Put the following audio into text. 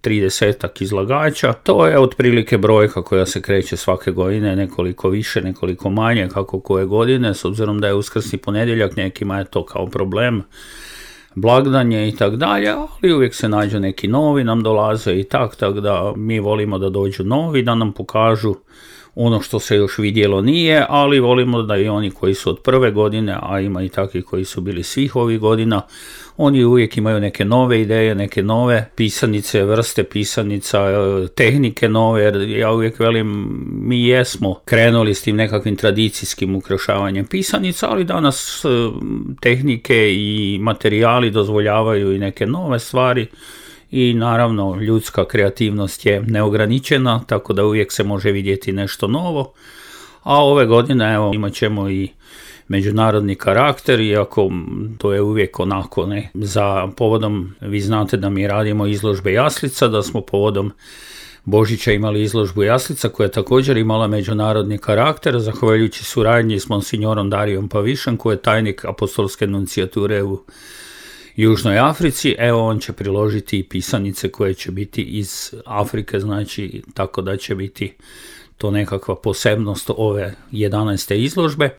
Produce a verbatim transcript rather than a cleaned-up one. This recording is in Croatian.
tridesetak izlagača. To je otprilike brojka koja se kreće svake godine, nekoliko više, nekoliko manje, kako koje godine, s obzirom da je uskrsni ponedjeljak, nekima je to kao problem, blagdanje i tak dalje, ali uvijek se nađu neki novi, nam dolaze i tak, tako da mi volimo da dođu novi, da nam pokažu ono što se još vidjelo nije, ali volimo da i oni koji su od prve godine, a ima i takvi koji su bili svih ovih godina, oni uvijek imaju neke nove ideje, neke nove pisanice, vrste pisanica, tehnike nove, jer ja uvijek velim, mi jesmo krenuli s tim nekakvim tradicijskim ukrašavanjem pisanica, ali danas tehnike i materijali dozvoljavaju i neke nove stvari. I naravno ljudska kreativnost je neograničena, tako da uvijek se može vidjeti nešto novo. A ove godine evo, imat ćemo i međunarodni karakter, iako to je uvijek onako, ne, za povodom, vi znate da mi radimo izložbe jaslica, da smo povodom Božića imali izložbu jaslica koja je također imala međunarodni karakter, zahvaljujući suradnji s monsignorom Darijom Pavišem, koji je tajnik apostolske nuncijature u Južnoj Africi. Evo, on će priložiti i pisanice koje će biti iz Afrike, znači tako da će biti to nekakva posebnost ove jedanaeste izložbe.